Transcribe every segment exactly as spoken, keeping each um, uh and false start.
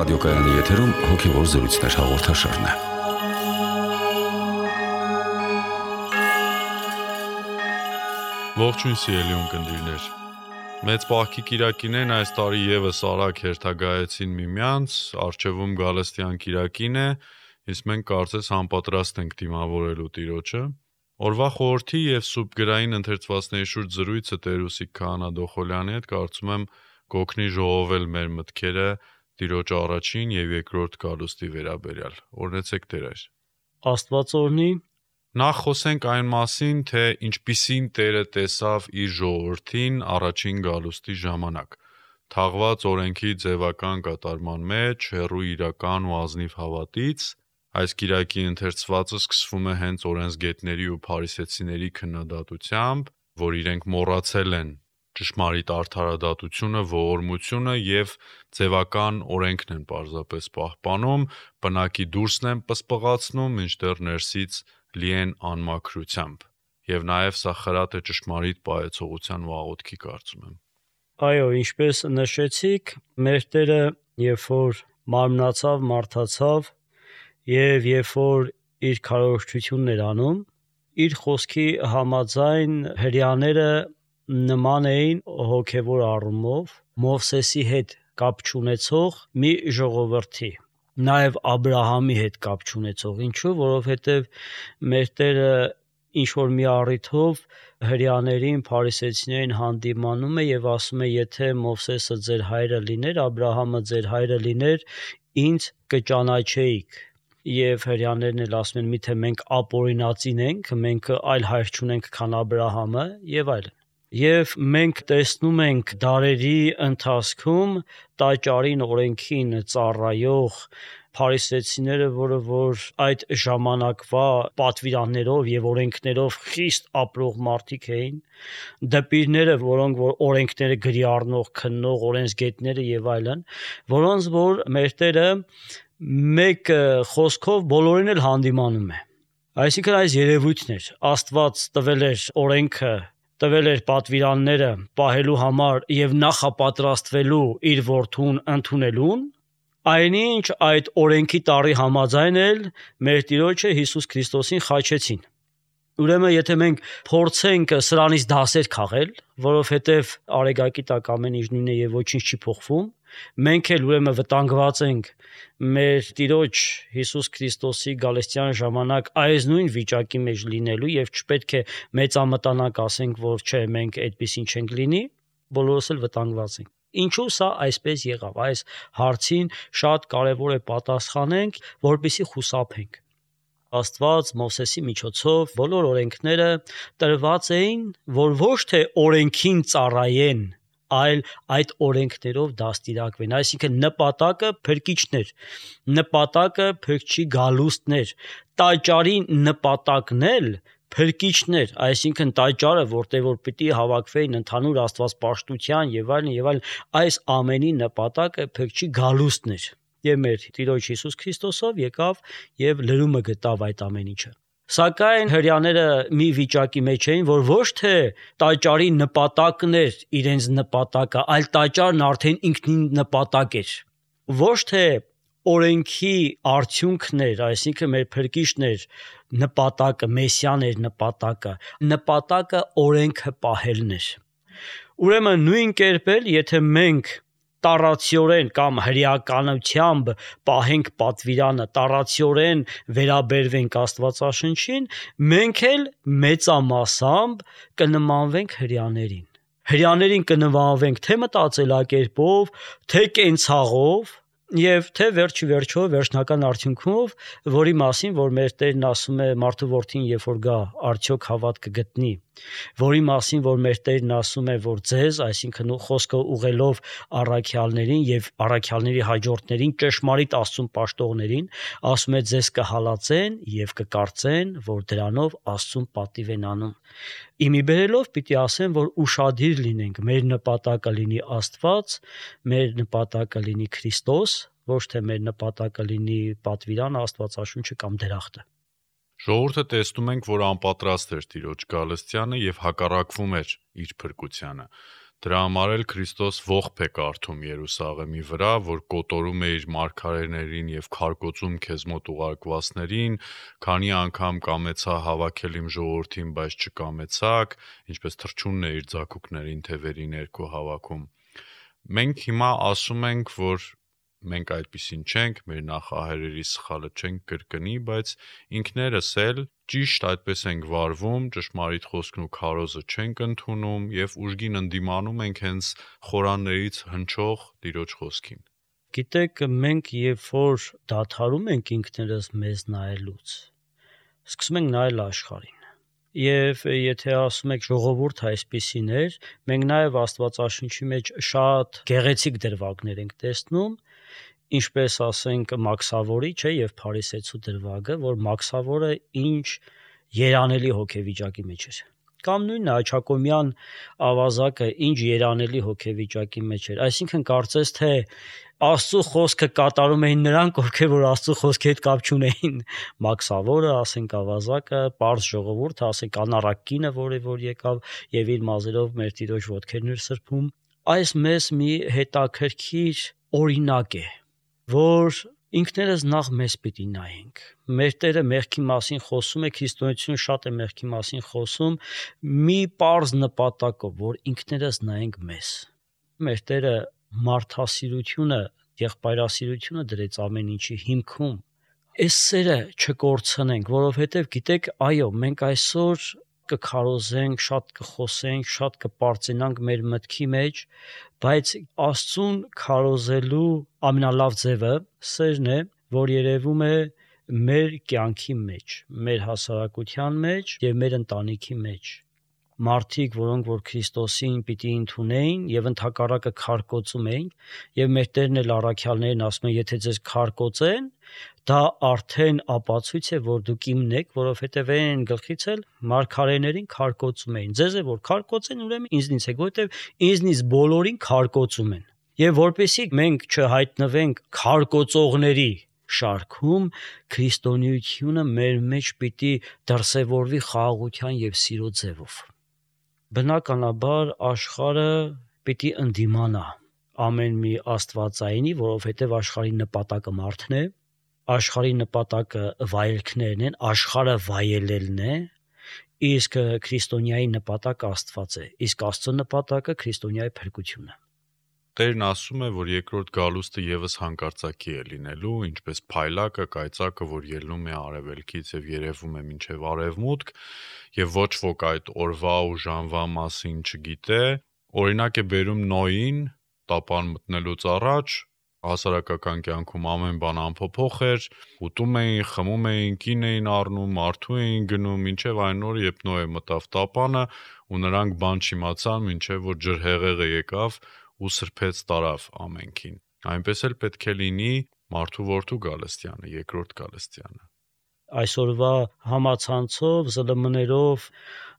Ռադիոկայանի եթերում հոգևոր զրույցներ հաղորդաշարն է։ Ողջույն սիրելի ունկնդիրներ։ Մեծ պահքի կիրակին այս տարի եւս արագ հերթագայեցին միմյանց, առջևում Գալստյան կիրակին է, իսկ մենք կարծես անպատրաստ ենք դիմավորելու Տիրոջը։ Օրվա խորհրդի եւ սուրբ գրային ընթերցվածքների շուրջ զրույցը Տեր-Ուսիկ Քահանա Դոխոլյանի հետ կարծում եմ կօգնի ժողովել մեր մտքերը Տիրոջ առաջին եւ երկրորդ գալուստի վերաբերյալ։ Օրհնեցեք Տեր։ Աստված օրհնի։ Նախ խոսենք այն մասին, թե ինչպիսին Տերը տեսավ իր ժողովրդին առաջին գալուստի ժամանակ։ Թաղված օրենքի ձևական կատարման մեջ, հեռու իրական ու ազնիվ հավատից, այս կիրակի ընթերցվածը սկսվում է հենց օրենսգետների ու փարիսեցիների քննադատությամբ, որ իրենք մոռացել են ճշմարիտ արդարադատությունը, ողորմությունը եւ ձևական օրենքն են պարզապես պահպանում, բնակի դուրսն են պսպղացնում, մինչդեռ ներսից լի են անմաքրությամբ։ Եվ նաեւ սա խրատ է ճշմարիտ պահեցողության ու աղոթքի կարծում եմ։ Այո, ինչպես նշեցիք, մեր Տերը, երբ որ մարմնացավ, մարդացավ եւ երբ որ իր քարոզչությունն էր անում, իր խոսքի համաձայն հրեաները նման էին հոգևոր առումով Մովսեսի հետ կապ չունեցող մի ժողովրդի, նաև Աբրահամի հետ կապ չունեցող։ Ինչու՞, որովհետև մեր Տերը ինչ-որ մի առիթով հրեաներին, փարիսեցիներին հանդիմանում է եւ ասում է, եթե Մովսեսը ձեր հայրը լիներ, Աբրահամը ձեր հայրը լիներ, ինձ կճանաչեիք։ Եվ հրեաներն էլ ասում են, միթե մենք ապօրինածին ենք, մենք այլ հայր չունենք, քան Աբրահամը եւ այլն։ Եվ մենք տեսնում ենք դարերի ընթացքում տաճարին, օրենքին ծառայող փարիսեցիները, որը որ այդ ժամանակվա պատվիրաններով եւ օրենքներով խիստ ապրող մարդիկ էին, դպիրները, որոնք որ օրենքները գրի առնող, քննող, օրենսգետները եւ այլն, որոնց որ մեր Տերը մեկ խոսքով բոլորին էլ հանդիմանում է։ Այսինքն այս երևույթն էր, Աստված տվել էր օրենքը, տվել էր պատվիրանները պահելու համար եւ նախապատրաստվելու իր որդուն ընդունելուն, այնինչ այդ օրենքի տառի համաձայն էլ մեր Տիրոջը Հիսուս Քրիստոսին խաչեցին։ Ուրեմն եթե մենք փորձենք սրանից դասեր քաղել, որովհետև արեգակի տակ ամեն ինչ նույնն է եւ ոչինչ չի փոխվում, մենք էլ ուրեմն վտանգված ենք մեր Տիրոջ Հիսուս Քրիստոսի գալստյան ժամանակ այս նույն վիճակի մեջ լինելու եւ չպետք է մեծամտանակ ասենք, որ չէ, մենք այդպեսին չենք լինի, բոլորս էլ վտանգված ենք։ Ինչու սա այսպես եղավ, այս հարցին շատ կարևոր է պատասխանենք, որպեսզի խուսափենք։ Աստված Մովսեսի միջոցով բոլոր օրենքները տրված էին, որ ոչ թե օրենքին ծառայեն, այլ այդ օրենքներով դաստիարակվեն, այսինքն նպատակը փրկիչներ, նպատակը փրկչի գալուստներ, տաճարի նպատակն էլ փրկիչներ, այսինքն տաճարը, որտեղ որ պիտի հավաքվեին ընդհանուր աստվածպաշտության եւ այլն եւ այլն, այս ամենի նպատակը փրկչի գալուստն էր։ Եվ մեր Տիրոջ Հիսուս Քրիստոսով եկավ եւ լրումը գտավ այդ ամեն ինչը։ Սակայն հրեաները մի վիճակի մեջ էին, որ ոչ թե տաճարի նպատակն էր իրենց նպատակը, այլ տաճարն արդեն ինքնին նպատակ էր։ Ոչ թե օրենքի արդյունքն էր, այսինքն մեր փրկիչն էր նպատակը, Մեսիան էր նպատակը, նպատակը օրենքը պահելն էր։ Ուրեմն նույն կերպ էլ, եթե մենք տառացիորեն կամ հրեականությամբ պահենք պատվիրանը, տառացիորեն վերաբերվենք Աստվածաշնչին, մենք էլ մեծամասամբ կնմանվենք հրեաներին։ Հրեաներին կնմանվենք թե մտածելակերպով, թե կենցաղով, եւ թե վերջի վերջո վերջնական արդյունքով, որի մասին որ մեր Տերն ասում է մարդու որդին երբ որ գա, արդյոք հավատ կգտնի, որի մասին որ մեր Տերն ասում է որ ձեզ, այսինքն խոսքը ուղելով առաքյալներին եւ առաքյալների հաջորդներին, ճշմարիտ Աստծուն պաշտողներին, ասում է ձեզ կհալածեն եւ կկարծեն, որ դրանով Աստծուն պատիվ են անում։ Իմի բերելով պիտի ասեմ, որ ուշադիր լինենք, մեր նպատակը լինի Աստված, մեր նպատակը լինի Քրիստոս, ոչ թե մեր նպատակը լինի պատվիրանը, Աստվածաշունչը կամ դրախտը։ Ժողովուրդը տեսնում ենք, որ անպատրաստ էր Տիրոջ գալստյանը եւ հակառակվում էր իր փրկությանը։ Դրա համար էլ Քրիստոս ողբ է կարդում Երուսաղեմի վրա, որ կոտորում է իր մարգարեներին եւ քարկոծում քեզ մոտ ուղարկվածներին, քանի անգամ կամեցա հավաքել իմ ժողովրդին, բայց չկամեցաք, ինչպես թռչունն է իր ձագուկներին թևերի ներքո հավաքում։ Մենք հիմա ասում ենք, որ մենք այդպիսին չենք, մեր նախահայրերի սխալը չենք կրկնի, բայց ինքներս էլ ճիշտ այդպես ենք վարվում, ճշմարիտ խոսքն ու քարոզը չենք ընդունում եւ ուժգին ընդդիմանում ենք հենց խորաններից հնչող Տիրոջ խոսքին։ Գիտեք, մենք երբ որ դադարում ենք ինքներս մեզ նայելուց, սկսում ենք նայել աշխարհին։ Եվ եթե ասում եք ժողովուրդ այսպիսին էր, մենք նաև Աստվածաշնչի մեջ շատ գեղեցիկ դրվագներ ենք տեսնում, ինչպես ասենք Մաքսավորի, չէ, եւ Փարիսեցու դրվագը, որ Մաքսավորը ինչ երանելի հոգեվիճակի մեջ էր։ Կամ նույնն Աչակոմյան ավազակը ինչ երանելի հոգեվիճակի մեջ էր։ Այսինքն կարծես թե Աստծո խոսքը կատարում էին նրանք, ովքեր որ Աստծո խոսքի հետ կապ չունեին։ Մաքսավորը, ասենք ավազակը, պարզ ժողովուրդը, ասենք անառակ կինը, որը որ եկավ եւ իր մազերով մեր Տիրոջ ոտքերն էր սրբում։ Այս մեզ մի հետաքրքիր օրինակ է, որ ինքներս նախ մեզ պիտի նայենք։ Մեր Տերը մեղքի մասին խոսում է, քրիստոնեությունը շատ է մեղքի մասին խոսում, մի պարզ նպատակով, որ ինքներս նայենք մեզ։ Մեր Տերը մարդասիրությունը, եղբայրասիրությունը դրեց ամեն ինչի հիմքում։ Այս սերը չկորցնենք, որովհետև գիտեք, այո, մենք այսօր կքարոզենք, շատ կխոսենք, շատ կպարծենանք մեր մտքի մեջ, բայց Աստծուն քարոզելու ամենալավ ձևը սերն է, որ երևում է մեր կյանքի մեջ, մեր հասարակության մեջ եւ մեր ընտանիքի մեջ։ Մարդիկ, որոնք որ Քրիստոսին պիտի ընդունեին եւ ընդհակառակը քարկոծում էին, եւ մեր Տերն էլ առաքյալներին ասում է, եթե ձեզ քարկոծեն, դա արդեն ապացույց է, որ դուք իմն եք, որովհետեւ այն գլխից էլ մարգարեներին քարկոծում էին։ Ձեզ է որ քարկոծեն, ուրեմն ինձնից եք, որովհետեւ ինձնից բոլորին քարկոծում են։ Եվ որպեսզի մենք չհայտնվենք քարկոծողների շարքում, քրիստոնեությունը մեր մեջ պիտի դրսևորվի խաղաղության եւ սիրո ձևով։ Բնականաբար աշխարհը պիտի ընդդիմանա ամեն մի աստվածայինի, որովհետև աշխարհի նպատակը մարդն է, աշխարհի նպատակը վայելքներն են, աշխարհը վայելելն է, իսկ քրիստոնյայի նպատակը Աստված է, իսկ Աստծո նպատակը քրիստոնյայի փրկությունը։ Տերն ասում է, որ երկրորդ գալուստը եւս հանկարծակի է լինելու, ինչպես փայլակը, կայծակը, որ ելնում է արևելքից եւ երևում է մինչեւ արևմուտք, եւ ոչ ոք այդ օրվա ու ժամվա մասին չգիտե։ Օրինակ է բերում Նոյին, տապան մտնելուց առաջ, հասարակական կյանքում ամեն բան անփոփոխ էր, ուտում էին, խմում էին, կին էին առնում, մարդու էին գնում, մինչեւ այն օրը, երբ Նոյը մտավ տապանը, ու նրանք բան չիմացան, մինչեւ որ ջրհեղեղը եկավ ու սրբեց տարավ ամենքին։ Այնպես էլ պետք է լինի մարդու որդու գալստյանը, երկրորդ գալստյանը։ Այսօրվա համացանցով, զլմ-ներով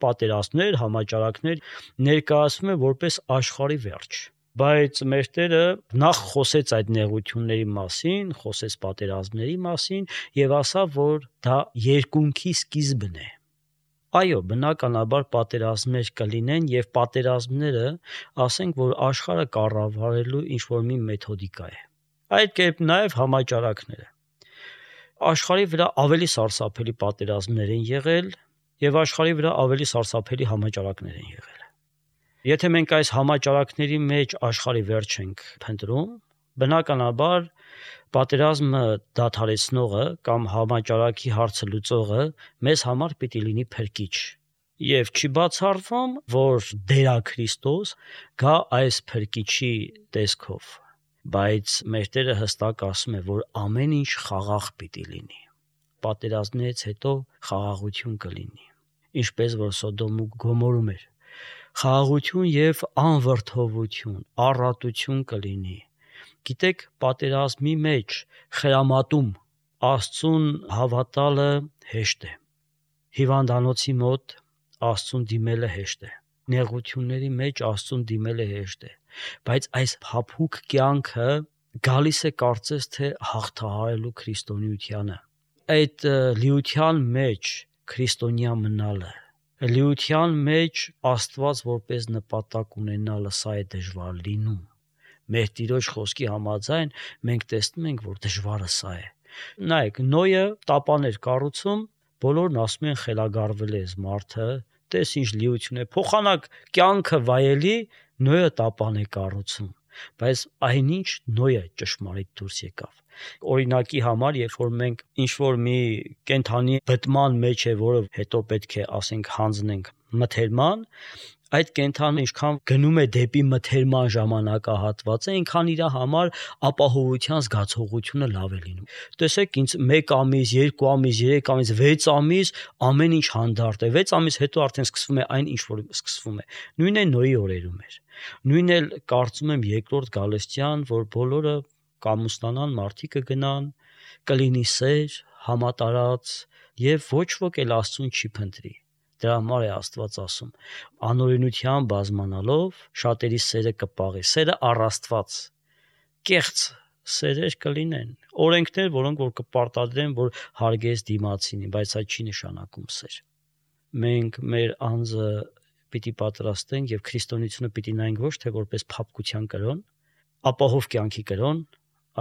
պատերազմներ, համաճարակներ ներկայացվում է որպես աշխարհի վերջ։ Բայց մեր Տերը նախ խոսեց այդ նեղությունների մասին, խոսեց պատերազմների մասին եւ ասավ, որ դա երկունքի սկիզբն է։ Այո, բնականաբար պատերազմներ կլինեն եւ պատերազմները, ասենք, որ աշխարհը կառավարելու ինչ-որ մի մեթոդիկա է։ Այդ կերպ նաեւ համաճարակները։ Աշխարհի վրա ավելի սարսափելի պատերազմներ են եղել եւ աշխարհի վրա ավելի սարսափելի համաճարակներ են եղել։ Եթե մենք այս համաճարակների մեջ աշխարհի վերջ ենք փնտրում, բնականաբար պատերազմը դադարեցնողը կամ համաճարակի հարցը լուծողը մեզ համար պիտի լինի փրկիչ։ Եվ չի բացառվում, որ Տեր Քրիստոս գա այս փրկիչի տեսքով, բայց մեր Տերը հստակ ասում է, որ ամեն ինչ խաղաղ պիտի լինի։ Պատերազմներից հետո խաղաղություն կլինի, ինչպես որ Սոդոմ ու Գոմորում էր։ Խաղաղություն եւ անվրդովություն, առատություն կլինի։ Գիտեք, պատերազմի մեջ խրամատում Աստծուն հավատալը հեշտ է։ Հիվանդանոցի մոտ Աստծուն դիմելը հեշտ է։ Նեղությունների մեջ Աստծուն դիմելը հեշտ է։ Բայց այս փափուկ կյանքը գալիս է կարծես թե հաղթահարելու քրիստոնեությանը։ Այդ լիության մեջ քրիստոնյա մնալը, լիության մեջ Աստված որպես նպատակ ունենալը սա է դժվար լինում։ Մեր Տիրոջ խոսքի համաձայն մենք տեսնում ենք, որ դժվարը սա է։ Նայեք, Նոյը տապան էր կառուցում, բոլորն ասում են խելագարվել է մարդը, տես ինչ լիություն է, փոխանակ կյանքը վայելի, Նոյը տապան է կառուցում, բայց այնինչ Նոյը ճշմարիտ դուրս եկավ։ Օրինակի համար, երբ որ մենք ինչ-որ մի կենդանի բտման մեջ է, որը հետո պետք է, ասենք, հանձնենք մթերման, այդ կենդանը ինչքան գնում է դեպի մթերման ժամանակահատվածը, այնքան իր համար ապահովության զգացողությունը լավ է լինում։ Տեսեք, ինձ մեկ ամիս, երկու ամիս, երեք ամիս, վեց ամիս ամեն ինչ հանդարտ է։ վեց ամիս հետո արդեն սկսվում է այն, ինչ որ սկսվում է։ Նույնն է Նոյի օրերում էր։ Նույնն էլ կարծում եմ երկրորդ գալստյան, որ բոլորը կամուսնանան, մարդիկ կգնան, կլինի սեր, համատարած եւ ոչ ոք էլ Աստծուն չի փնտրի։ Դրա համար է Աստված ասում. անօրենության բազմանալով շատերի սերը կպաղի, սերը առ Աստված, կեղծ սերեր կլինեն, օրենքներ, որոնք որ կպարտադրեն, որ հարգես դիմացինին, բայց այդ չի նշանակում սեր։ Մենք մեր անձը պիտի պատրաստենք եւ քրիստոնեությունը պիտի նայենք ոչ թե որպես փափկության կրոն, ապահով կյանքի կրոն,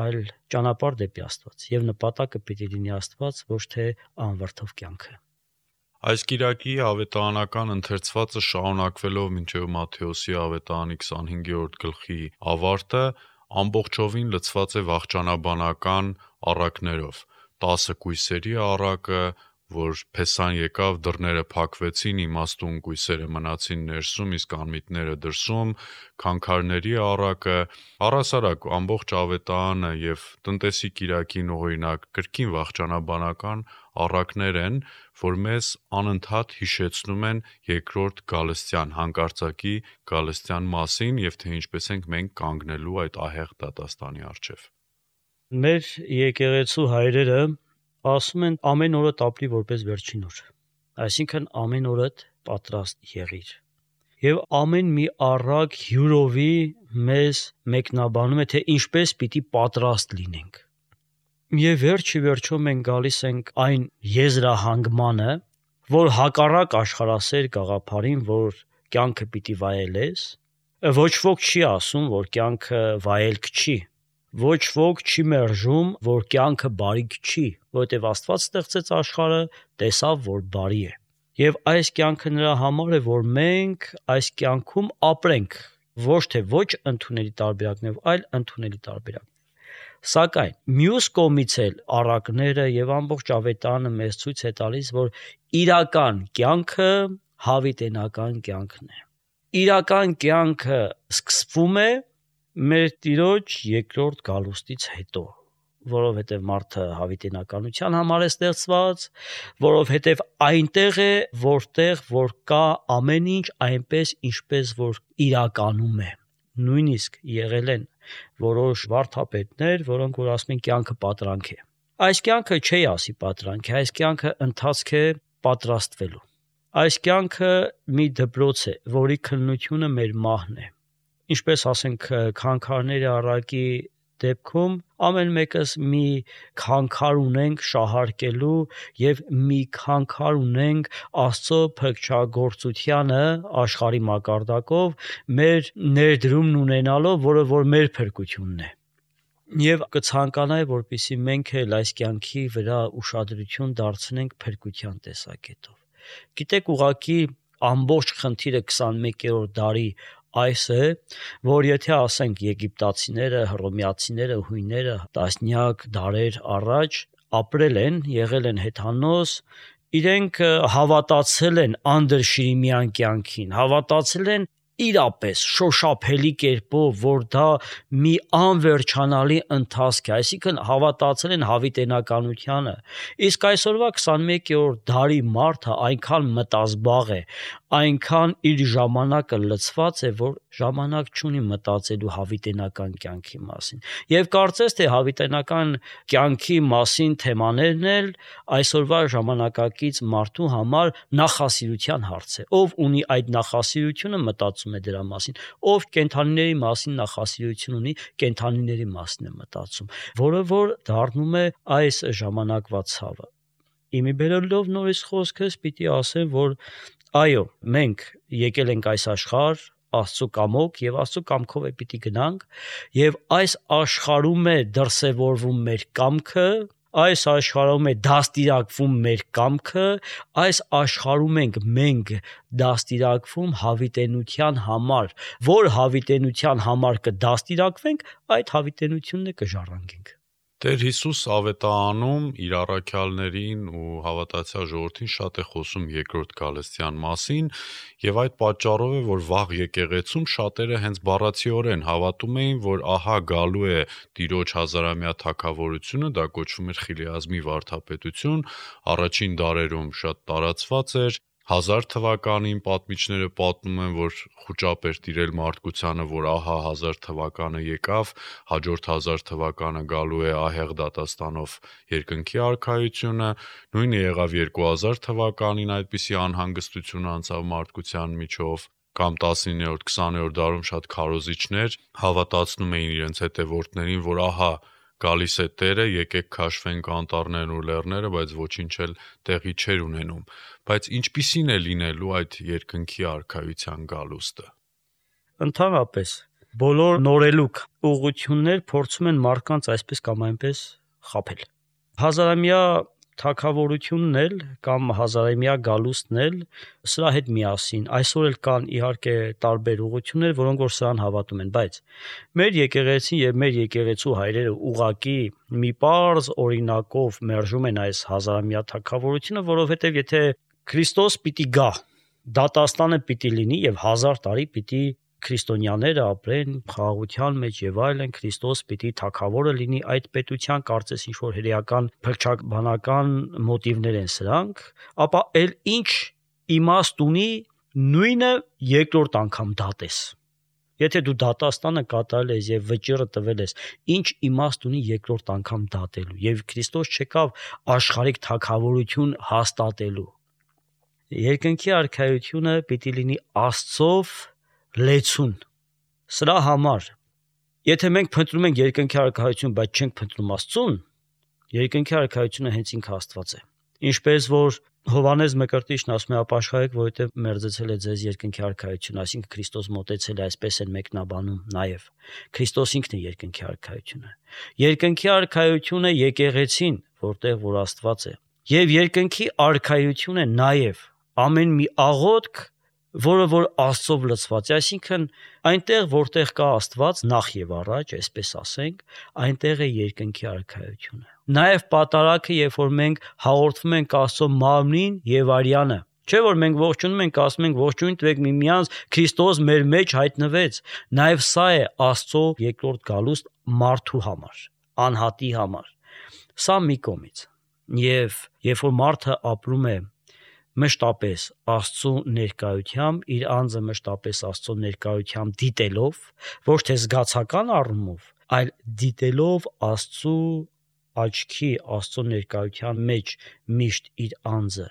այլ ճանապարհ դեպի Աստված եւ նպատակը պիտի լինի Աստված, ոչ թե անվրդով կյանքը։ Այս կիրակի ավետարանական ընթերցվածը շարունակվելով մինչև Մատթեոսի ավետարանի քսանհինգերորդ գլխի ավարտը ամբողջովին լցված է վախճանաբանական առակներով։ տասը կույսերի առակը, որ Փեսան եկավ, դռները փակվեցին, իմաստուն կույսերը մնացին ներսում, իսկ անմիտները դրսում, քանքարների առակը, առասարակ ամբողջ ավետարանը եւ տնտեսի կիրակին օրինակ կրկին վախճանաբանական առակներ են, որ մեզ անընդհատ հիշեցնում են երկրորդ գալստյան, հանկարծակի գալստյան մասին եւ թե ինչպես ենք մենք կանգնելու այդ ահեղ դատաստանի առջեւ։ Մեր եկեղեցու հայրերը ասում են ամեն օրդ ապրի որպես վերջին օր, այսինքն ամեն օրդ պատրաստ եղիր։ Եվ ամեն մի առակ հյուրովի մեզ մեկնաբանում է, թե ինչպես պիտի պատրաստ լինենք։ Եվ վերջի վերջո մենք գալիս ենք այն եզրահանգմանը, որ հակառակ աշխարհասեր գաղափարին, որ կյանքը պիտի վայելես, ոչ ոք չի ասում, որ կյանքը վայելք չի։ Ոչ ոք չի մերժում, որ կյանքը բարիք չի, որովհետև Աստված ստեղծեց աշխարհը, տեսավ, որ բարի է։ Եվ այս կյանքը նրա համար է, որ մենք այս կյանքում ապրենք, ոչ թե ոչ ընդունելի տարբերակներով, այլ ընդունելի տարբերակներով։ Սակայն մյուս կողմից էլ առակները եւ ամբողջ ավետարանը մեզ ցույց է տալիս, որ իրական կյանքը հավիտենական կյանքն է։ Իրական կյանքը սկսվում է մեր Տիրոջ երկրորդ գալուստից հետո, որովհետև մարդը հավիտենականության համար է ստեղծված, որովհետև այնտեղ է, որտեղ որ կա ամեն ինչ այնպես, ինչպես որ իրականում է։ Նույնիսկ եղել են որոշ վարդապետներ, որոնք որ ասում են կյանքը պատրանք է։ Այս կյանքը չի ասի պատրանք է, այս կյանքը ընթացք է պատրաստվելու։ Այս կյանքը մի դպրոց է, որի քննությունը մեր մահն է։ Ինչպես ասենք քանքարների առակի դեպքում ամեն մեկս մի քանքար ունենք շահարկելու եւ մի քանքար ունենք Աստծո փրկչագործությանը աշխարհի մակարդակով մեր ներդրումն ունենալով, որը որ մեր փրկությունն է։ Եվ կցանկանայի, որպեսզի մենք էլ այս կյանքի վրա ուշադրություն դարձնենք փրկության տեսակետով։ Գիտեք, ուղղակի ամբողջ խնդիրը քսանմեկերորդ դարի այս է, որ եթե ասենք եգիպտացիները, հռոմեացիները, հույները տասնյակ դարեր առաջ ապրել են, եղել են հեթանոս, իրենք հավատացել են անդրշիրիմյան կյանքին, հավատացել են իրապես շոշափելի կերպով, որ դա մի անվերջանալի ընթացք է, այսինքն հավատացել են հավիտենականությանը։ Իսկ այսօրվա քսանմեկերորդ դարի մարդը այնքան մտազբաղ է, այնքան իր ժամանակը լցված է, որ ժամանակ չունի մտածելու հավիտենական կյանքի մասին։ Եվ կարծես թե հավիտենական կյանքի մասին թեմաներն էլ այսօրվա ժամանակակից մարդու համար նախասիրության հարց է։ Ով ունի այդ նախասիրությունը, մտածում է դրա մասին, ով կենդանիների մասին նախասիրություն ունի, կենդանիների մասին է մտածում, որը որ դառնում է այս ժամանակվա ցավը։ Իմի բերելով նորից խոսքս պիտի ասեմ, որ Այո, մենք եկել ենք այս աշխարհ Աստծո կամոք եւ Աստծո կամքով է պիտի գնանք եւ այս աշխարհում է դրսևորվում մեր կամքը, այս աշխարհում է դաստիարակվում մեր կամքը, այս աշխարհում ենք մենք դաստիարակվում հավիտենության համար, որ հավիտենության համար կդաստիարակվենք, այդ հավիտենությունն է կժառանգենք։ Տեր Հիսուս ավետարանում իր առաքյալներին ու հավատացյալ ժողովրդին շատ է խոսում երկրորդ գալստյան մասին եւ այդ պատճառով է, որ վաղ եկեղեցում շատերը հենց բառացիորեն հավատում էին, որ ահա գալու է Տիրոջ հազարամյա թագավորությունը, դա կոչվում էր Խիլիազմի վարդապետություն, առաջին դարերում շատ տարածված էր։ Հազար թվականին պատմիչները պատմում են, որ խուճապ էր տիրել մարդկությանը, որ ահա հազար թվականը եկավ, հաջորդ հազար թվականը գալու է ահեղ դատաստանով երկնքի արքայությունը, նույնը եղավ երկու հազար թվականին այդպիսի անհանգստություն անցավ մարդկության միջով, կամ տասնիններորդ քսաներորդ դարում շատ քարոզիչներ հավատացնում էին իրենց հետևորդներին, որ ահա գալիս է Տերը, եկեք քաշվենք անտառներն ու լեռները, բայց ոչինչ էլ տեղի չէր ունենում։ Բայց ինչպիսին է լինելու այդ երկնքի արքայության գալուստը։ Ընդհանրապես բոլոր նորելուկ ուղղություններ փորձում են մարդկանց այսպես կամ այնպես խաբել։ Հազարամյա թագավորությունն էլ կամ հազարամյա գալուստն էլ սրա հետ միասին այսօր էլ կան իհարկե տարբեր ուղղություններ, որոնք որ սրան հավատում են, բայց մեր եկեղեցին եւ մեր եկեղեցու հայրերը ուղակի մի պարզ օրինակով մերժում են այս հազարամյա թագավորությունը, որովհետեւ եթե Քրիստոս պիտի գա, դատաստանը պիտի լինի եւ հազար տարի պիտի քրիստոնյաները ապրեն խաղաղության մեջ եւ այլն, Քրիստոս պիտի թագավորը լինի, այդ պետության կարծես ինչ որ հրեական փրկչաբանական մոտիվներ են սրանք, ապա էլ ինչ իմաստ ունի նույնը երկրորդ անգամ դատես։ Եթե դու դատաստանը կատարել ես եւ վճիռը տվել ես, ինչ իմաստ ունի երկրորդ անգամ դատելու, եւ Քրիստոս չեկավ աշխարհիկ թագավորություն հաստատելու։ Երկնքի արքայությունը պիտի լինի Աստծով լեցուն։ Սրա համար, եթե մենք փնտրում ենք երկնքի արքայություն, բայց չենք փնտրում Աստծուն, երկնքի արքայությունը հենց ինքը Աստված է։ Ինչպես որ Հովհաննես Մկրտիչն ասում է, ապաշխարեք, որովհետև մերձեցել է ձեզ երկնքի արքայությունը, այսինքն Քրիստոս մոտեցել է, այսպես են մեկնաբանում նաև։ Քրիստոս ինքն է երկնքի արքայությունը։ Երկնքի արքայությունը եկեղեցին, որտեղ որ Աստված է, եւ երկնքի արքայությունը նաև ամեն մի աղոթք, որը որ Աստծով լցված է, այսինքն այնտեղ որտեղ կա Աստված նախ եւ առաջ, այսպես ասենք, այնտեղ է երկնքի արքայությունը։ Նաև պատարակը, երբ որ մենք հաղորդվում ենք Աստծո մարմնին եւ արյանը, չէ՞ որ մենք ողջունում ենք, ասում ենք ողջույն տվեք միմյանց, Քրիստոս մեր մեջ հայտնվեց։ Նաև սա է Աստծո երկրորդ գալուստ մարդու համար, անհատի համար։ Սա մի կողմից։ Եվ երբ որ մարդը ապրում է մշտապես Աստծո ներկայությամբ, իր անձը մշտապես Աստծո ներկայությամբ դիտելով, ոչ թե զգացական առումով, այլ դիտելով Աստծո աչքի, Աստծո ներկայության մեջ միշտ իր անձը,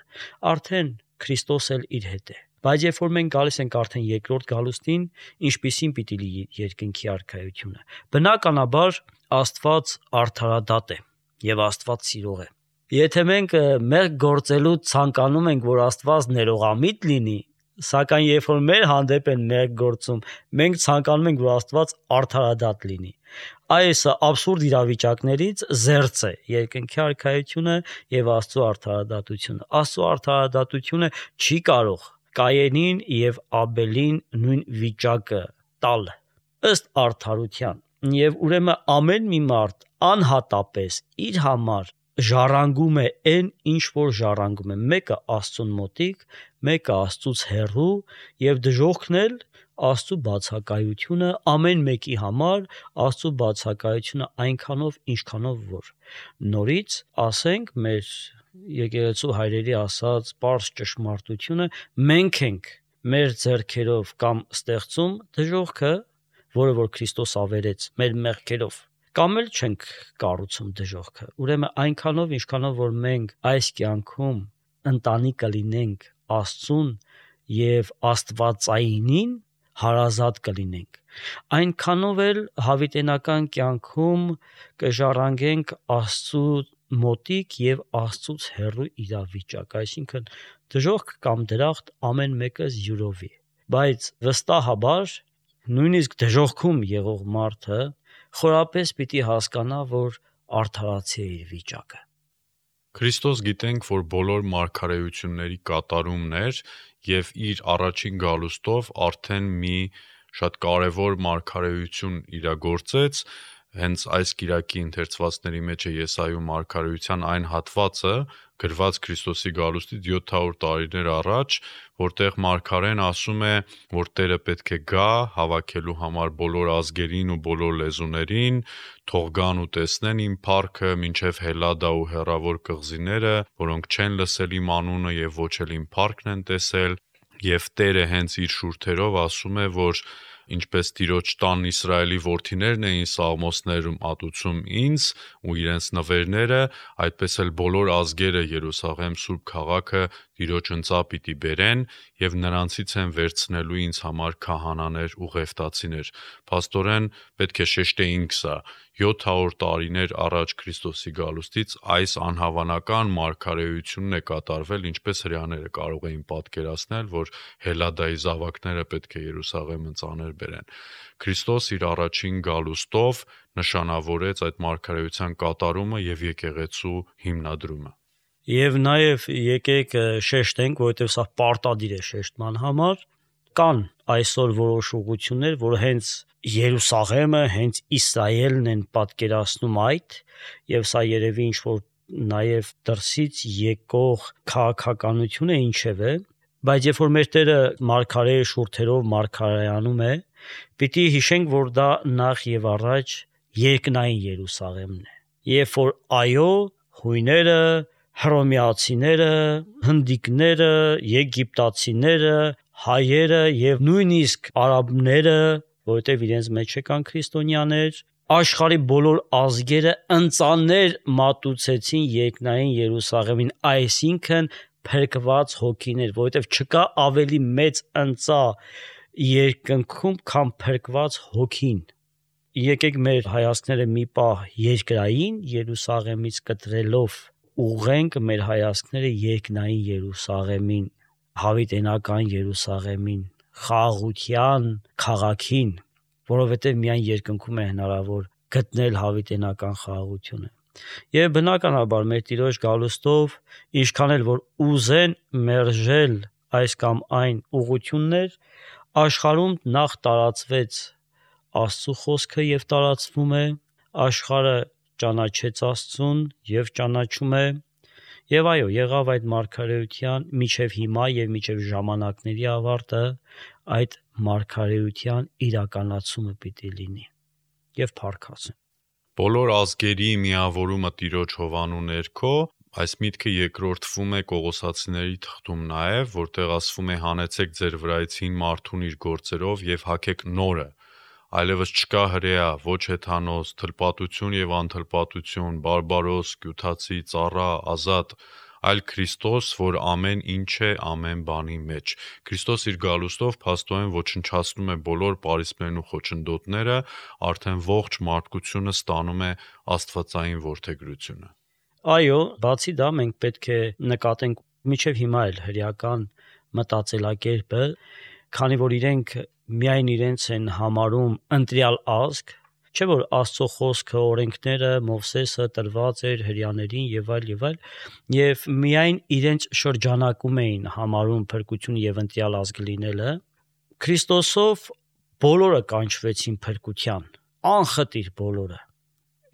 արդեն Քրիստոս էլ իր հետ է։ Բայց երբ որ մենք գալիս ենք արդեն երկրորդ գալուստին, ինչպիսին պիտի լինի երկնքի արքայությունը։ Բնականաբար Աստված արդարադատ է եւ Աստված սիրող է։ Եթե մենք մեր գործելու ցանկանում ենք, որ Աստված ներողամիտ լինի, սակայն երբ որ մեր հանդեպ են մեր գործում, մենք ցանկանում ենք, որ Աստված արդարադատ լինի։ Այս абսուրդ իրավիճակներից զերծ է երկնքի արքայությունը եւ Աստծո արդարադատությունը։ Աստծո արդարադատությունը չի կարող Կայենին եւ Աբելին նույն վիճակը տալ ըստ արդարության։ Եվ ուրեմն ամեն մի մարդ անհատապես իր համար ժառանգում է այն, ինչ որ ժառանգում է, մեկը Աստծուն մոտիկ, մեկը Աստծուց հեռու, եւ դժոխքն էլ Աստծո բացակայությունը ամեն մեկի համար, Աստծո բացակայությունը այնքանով, ինչքանով որ նորից ասենք մեր եկեղեցու հայրերի ասած պարզ ճշմարտությունը, մենք ենք մեր ձեռքերով կամ ստեղծում դժոխքը, որը որ Քրիստոս ավերեց մեր մեղքերով, կամ էլ չենք կառուցում դժոխքը։ Ուրեմն այնքանով, ինչքանով որ մենք այս կյանքում ընտանի կլինենք Աստծուն եւ Աստվածայինին, հարազատ կլինենք, այնքանով էլ հավիտենական կյանքում կժառանգենք Աստծո մոտիկ եւ Աստծուց հեռու իրավիճակ, այսինքն դժոխք կամ դրախտ ամեն մեկը յուրովի, բայց վստահաբար նույնիսկ դժոխքում եղող մարդը խորապես պիտի հասկանա, որ արդարացի է իր վիճակը։ Քրիստոս գիտենք, որ բոլոր մարգարեությունների կատարումն էր եւ իր առաջին գալուստով արդեն մի շատ կարևոր մարգարեություն իրագործեց։ Հենց այս կիրակի ընթերցվածների մեջ է Եսայու մարգարեության այն հատվածը, գրված Քրիստոսի գալուստից յոթ հարյուր տարիներ առաջ, որտեղ մարգարեն ասում է, որ Տերը պետք է գա հավաքելու համար բոլոր ազգերին ու բոլոր լեզուներին, թող գան ու տեսնեն իմ փառքը, մինչև Հելադա ու հեռավոր կղզիները, որոնք չեն լսել իմ անունը եւ ոչ էլ իմ փառքն են տեսել, եւ Տերը հենց իր շուրթերով ասում է, որ ինչպես Տիրոջ տան Իսրայելի որդիներն էին սաղմոսներում ատուցում ինձ ու իրենց նվերները, այդպես էլ բոլոր ազգերը Երուսաղեմ Սուրբ քաղաքը Տիրոջ ընծա պիտի բերեն եւ նրանցից են վերցնելու ինձ համար քահանաներ ու ղևտացիներ։ Փաստորեն պետք է շեշտեինք սա. յոթ հարյուր տարիներ առաջ Քրիստոսի գալուստից այս անհավանական մարգարեությունն է կատարվել, ինչպես հրեաները կարող էին պատկերացնել, որ Հելադայի զավակները պետք է Երուսաղեմը ծաներ բերեն։ Քրիստոս իր առաջին գալուստով նշանավորեց այդ մարգարեության կատարումը եւ եկեղեցու հիմնադրումը։ Եվ նաեւ եկեք շեշտենք, որովհետեւ սա պարտադիր է շեշտման համար, կան այսօր որոշ ուղղություններ, որ հենց Երուսաղեմը, հենց Իսրայելն են պատկերացնում այդ, եւ սա երևի ինչ որ նաեւ դրսից եկող քաղաքականություն է ինչեւէ, բայց երբ որ մեր Տերը մարգարեի շուրթերով մարգարեանում է, պիտի հիշենք, որ դա նախ եւ առաջ երկնային Երուսաղեմն է։ Երբ որ այո, հույները, հռոմեացիները, հնդիկները, եգիպտացիները, հայերը եւ նույնիսկ արաբները, որովհետեւ իրենց մեջ եկան քրիստոնյաներ, աշխարհի բոլոր ազգերը ընծաներ մատուցեցին երկնային Երուսաղեմին, այսինքն փրկված հոգիներ, որովհետեւ չկա ավելի մեծ ընծա երկնքում, քան փրկված հոգին։ Եկեք մեր հայացքները մի պահ երկրային Երուսաղեմից կտրելով ուղենք մեր հայացքները երկնային Երուսաղեմին, հավիտենական Երուսաղեմին, խաղաղության քաղաքին, որովհետև միայն երկնքում է հնարավոր գտնել հավիտենական խաղաղությունը։ Եվ բնականաբար մեր Տիրոջ գալուստով ինչքան էլ որ ուզեն մերժել այս կամ այն ուղղություններ, աշխարհում նախ տարածվեց Աստծո խոսքը եւ տարածվում է, աշխարհը ճանաչեց Աստծուն եւ ճանաչում է, եւ այո, եղավ այդ մարգարեության միջև հիմա եւ միջև ժամանակների ավարտը այդ մարգարեության իրականացումը պիտի լինի եւ փառքասեն։ Բոլոր ազգերի միավորումը Տիրոջ հովանու ներքո, այս միտքը երկրորդվում է Կողոսացիների թղթում նաեւ, որտեղ ասվում է հանեցեք ձեր վրայցին մարդուն իր գործերով եւ հագեք նորը, այլևս չկա հրեա, ոչ հեթանոս, թլպատություն եւ անթլպատություն, բարբարոս, կյութացի, ծառա, ազատ, այլ Քրիստոս, որ ամեն ինչ է ամեն բանի մեջ։ Քրիստոս իր գալուստով փաստորեն ոչնչացնում է բոլոր պարիսպներն ու խոչընդոտները, արդեն ողջ մարդկությունը ստանում է աստվածային որդեգրությունը։ Այո, բացի դա մենք պետք է նկատենք միջև հիմա էլ հրեական մտածելակերպը, քանի որ իրենք միայն իրենց են համարում ընտրյալ ազգ, չէ՞ որ Աստծո խոսքը, օրենքները, Մովսեսը տրված էր հրեաներին եւ այլ եւ այլ, եւ միայն իրենց շրջանակում էին համարում փրկություն եւ ընտրյալ ազգ լինելը, Քրիստոսով բոլորը կանչվեցին փրկության, անխտիր բոլորը։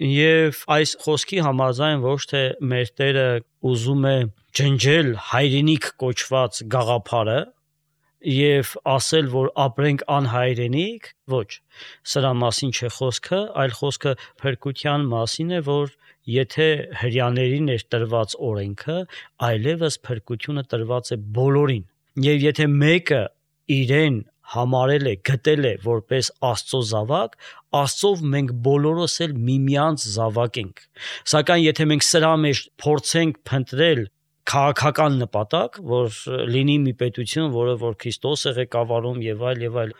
Եվ այս խոսքի համաձայն ոչ թե մեր Տերը ուզում է ջնջել հայրենիք կոչված գաղափարը եւ ասել, որ ապրենք անհայրենիք, ոչ, սրա մասին չէ խոսքը, այլ խոսքը փրկության մասին է, որ եթե հրեաներին էր տրված օրենքը, այլևս փրկությունը տրված է բոլորին։ Եվ եթե մեկը իրեն համարել է, գտել է որպես Աստծո զավակ, Աստծով մենք բոլորս էլ միմյանց զավակ ենք։ Սակայն եթե մենք սրա մեջ փորձենք փնտրել քաղաքական նպատակ, որ լինի մի պետություն, որը որ Քրիստոս է ղեկավարում եւ այլ եւ այլ,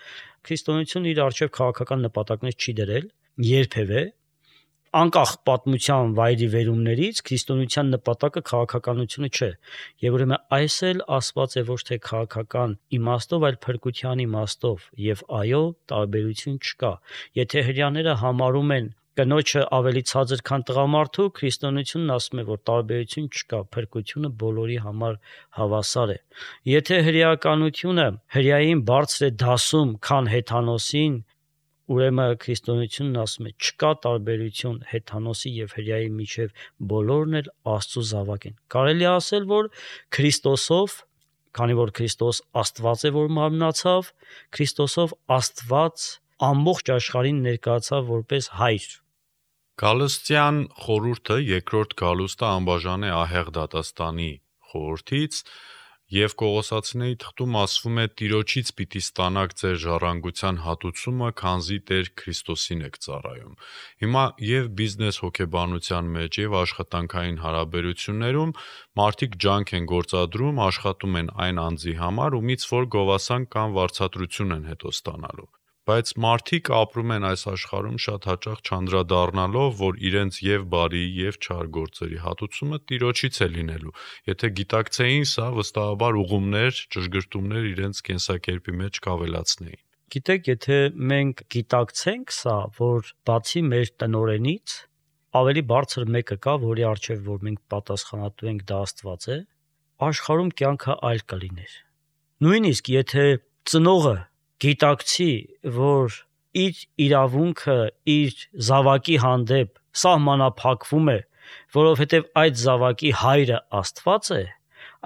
քրիստոնեությունը իր արժեվ քաղաքական նպատակներ չի դրել երբևէ, անկախ պատմության վայրի վերումներից քրիստոնեության նպատակը քաղաքականությունը չէ։ Եվ ուրեմն այս էլ ասված է ոչ թե քաղաքական իմաստով, այլ փրկության իմաստով, եւ այո, տարբերություն չկա։ Եթե հрьяաները համարում են կնոջը ավելի ցածր, քան տղամարդու, քրիստոնեությունն ասում է, որ տարբերություն չկա, փրկությունը բոլորի համար հավասար է։ Եթե հрьяականությունը հрьяային բարձր է դասում, քան հեթանոսին, ուրեմն քրիստոնեությունն ասում է չկա տարբերություն հեթանոսի եւ հրեայի միջև, բոլորն էլ Աստծո զավակ են։ Կարելի է ասել, որ Քրիստոսով, քանի որ Քրիստոս Աստված է, որ մարմնացավ, Քրիստոսով Աստված ամբողջ աշխարհին ներկայացավ որպես հայր։ Գալստյան խորհուրդը երկրորդ գալուստը անբաժան է ահեղ դատաստանի խորհրդից, եւ Կողոսացիների թղթում ասվում է Տիրոջից պիտի ստանաք ձեր ժառանգության հատուցումը, քանզի Տեր Քրիստոսին եք ծառայում։ Հիմա եւ բիզնես հոգեբանության մեջ եւ աշխատանքային հարաբերություններում մարդիկ ջանք են գործադրում, աշխատում են այն անձի համար, ումից որ գովասան կամ վարձատրություն են հետո ստանալու։ Բայց մարդիկ ապրում են այս աշխարհում շատ հաճախ չանդրադառնալով, որ իրենց եւ բարի եւ չար գործերի հատուցումը Տիրոջից է լինելու։ Եթե գիտակցեին սա, վստահաբար ուղումներ, ճշգրտումներ իրենց կենսակերպի մեջ կավելացնեին։ Գիտեք, եթե մենք գիտակցենք սա, որ բացի մեր տնորենից ավելի բարձր մեկը կա, որի առջև որ մենք պատասխանատու ենք, դա Աստված է, աշխարհում կյանքը այլ կլիներ։ Նույնիսկ եթե ծնողը գիտակցի, որ իր իրավունքը իր զավակի հանդեպ սահմանափակվում է, որովհետև այդ զավակի հայրը Աստված է,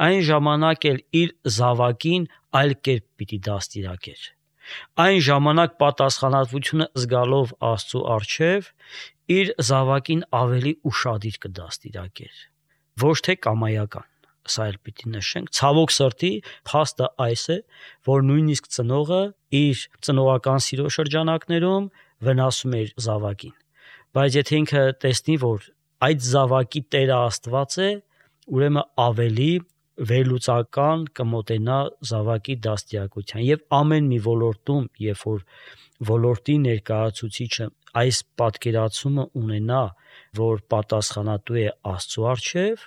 այն ժամանակ էլ իր զավակին այլ կերպ պիտի դաստիարակեր։ Այն ժամանակ պատասխանատվությունը զգալով Աստծո առջև իր զավակին ավելի ուշադիր կդաստիարակեր, ոչ թե կամայական։ Սա էլ պիտի նշենք, ցավոք սրտի փաստը այս է, որ նույնիսկ ծնողը իր ծնողական սիրո շրջանակներում վնասում է իր զավակին։ Բայց եթե ինքը տեսնի, որ այդ զավակի Տերը Աստված է, ուրեմն ավելի վերլուծական կմոտենա զավակի դաստիարակության եւ ամեն մի ոլորտում, երբ որ ոլորտի ներկայացուցիչը այս պատկերացումը ունենա, որ պատասխանատու է Աստծո առջև,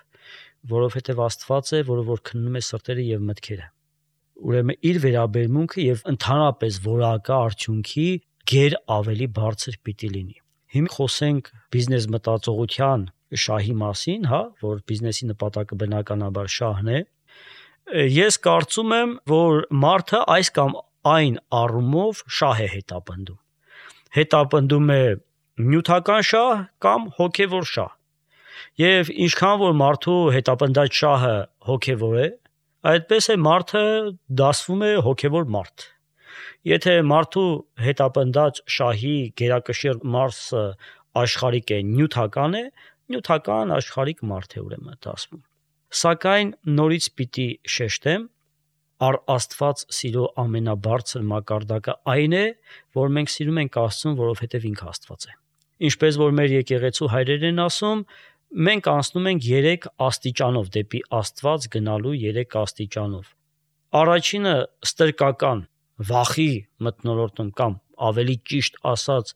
որովհետև Աստված է, որը որ քննում է սրտերը եւ մտքերը։ Ուրեմն իր վերաբերմունքը եւ ընդհանրապես որակա արդյունքի գեր ավելի բարձր պիտի լինի։ Հիմա խոսենք բիզնես մտածողության շահի մասին, հա, որ բիզնեսի նպատակը բնականաբար շահն է։ Ես կարծում եմ, որ մարդը այս կամ այն առումով շահ է հետապնդում։ Հետապնդում է նյութական շահ կամ հոգևոր շահ։ Եվ ինչքան որ մարդու հետապնդած շահը հոգևոր է, այդպես է մարդը դասվում է հոգևոր մարդ։ Եթե մարդու հետապնդած շահի գերակշիռ մասը աշխարհիկ է, նյութական է, նյութական աշխարհիկ մարդ է ուրեմն դասվում։ Սակայն նորից պիտի շեշտեմ, առ Աստված սիրո ամենաբարձր մակարդակը այն է, որ մենք սիրում ենք Աստծուն, որովհետև ինքը Աստված է։ Ինչպես որ մեր եկեղեցու հայրերն են ասում, մենք անցնում ենք երեք աստիճանով դեպի Աստված գնալու երեք աստիճանով։ Առաջինը ստրկական վախի մթնոլորտում կամ ավելի ճիշտ ասած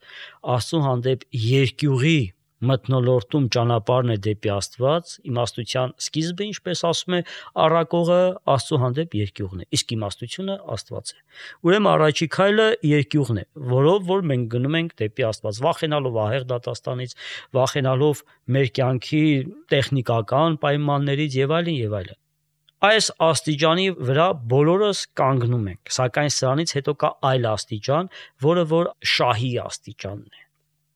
Աստծո հանդեպ երկյուղի մթնոլորտում ճանապարհն է դեպի Աստված, իմաստության սկիզբը, ինչպես ասում է առակողը, Աստծո հանդեպ երկյուղն է, իսկ իմաստությունը Աստված է։ Ուրեմն առաջի քայլը երկյուղն է, որով որ մենք գնում ենք դեպի Աստված, վախենալով ահեղ դատաստանից, վախենալով մեր կյանքի տեխնիկական պայմաններից եւ այլն եւ այլն։ Այս աստիճանի վրա բոլորս կանգնում ենք, սակայն սրանից հետո կա այլ աստիճան, որը որ շահի աստիճանն է։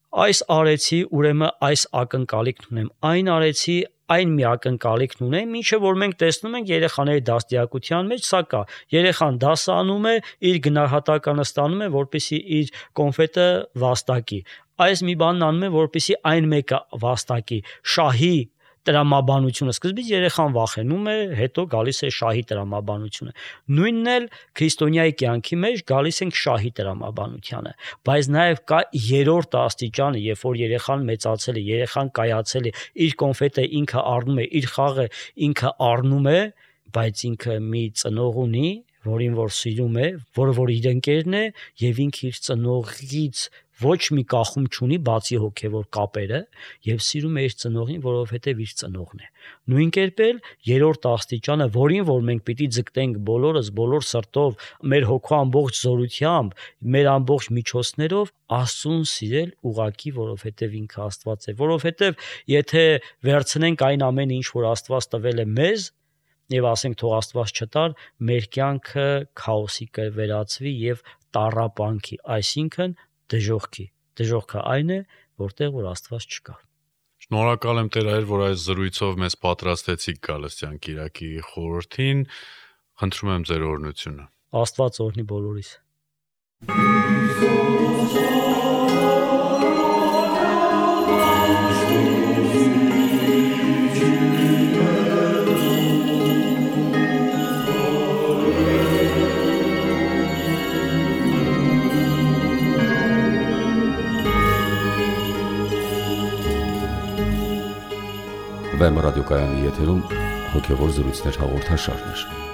Այս արեցի, ուրեմն այս ակնկալիքն ունեմ, այն արեցի, այն մի ակնկալիքն ունեմ, ինչը որ մենք տեսնում ենք երեխաների դաստիարակության մեջ, սա կա։ Երեխան դասը անում է, իր գնահատականը ստանում է, որպեսզի իր կոնֆետը վաստակի։ Այս մի բանն անում է, որպեսզի այն մեկը վաստակի։ Շահի տրամաբանությունը սկզբից երեխան վախենում է, հետո գալիս է շահի տրամաբանությունը։ Նույնն էլ քրիստոնյայի կյանքի մեջ գալիս ենք շահի տրամաբանությանը, բայց նաև կա երրորդ աստիճանը, երբ որ երեխան մեծացել է, երեխան կայացել է, իր կոնֆետը ինքը առնում է, իր խաղը ինքը առնում է, բայց ինքը մի ծնող ունի, որին որ սիրում է, որը որ իր ընկերն է, եւ ինքը իր ծնողից ոչ մի կախում չունի բացի հոգևոր կապերը եւ սիրում է իր ծնողին, որովհետեւ իր ծնողն է։ Նույն կերպ էլ երրորդ աստիճանը, որին որ մենք պիտի ձգտենք բոլորս, բոլոր սրտով, մեր հոգու ամբողջ զորությամբ, մեր ամբողջ միջոցներով Աստծուն սիրել ուղակի, որովհետեւ ինքը Աստված է, որովհետեւ եթե վերցնենք այն ամենը, ինչ որ Աստված տվել է մեզ, եւ ասենք թող Աստված չտար, մեր կյանքը քաոսի կվերածվի եւ տառապանքի, այսինքն դժոխքի։ Դժոխքը այն է, որտեղ որ Աստված չկա։ Շնորհակալ եմ Տեր Հայր, որ այս զրույցով մեզ պատրաստեցիք Գալստյան Կիրակի խորհրդին։ Խնդրում եմ ձեր օրհնությունը։ Աստված օրհնի բոլորիս։ Վեմ ռադիոկայանի եթերում հոգևոր զրույցներ հաղորդաշարներ։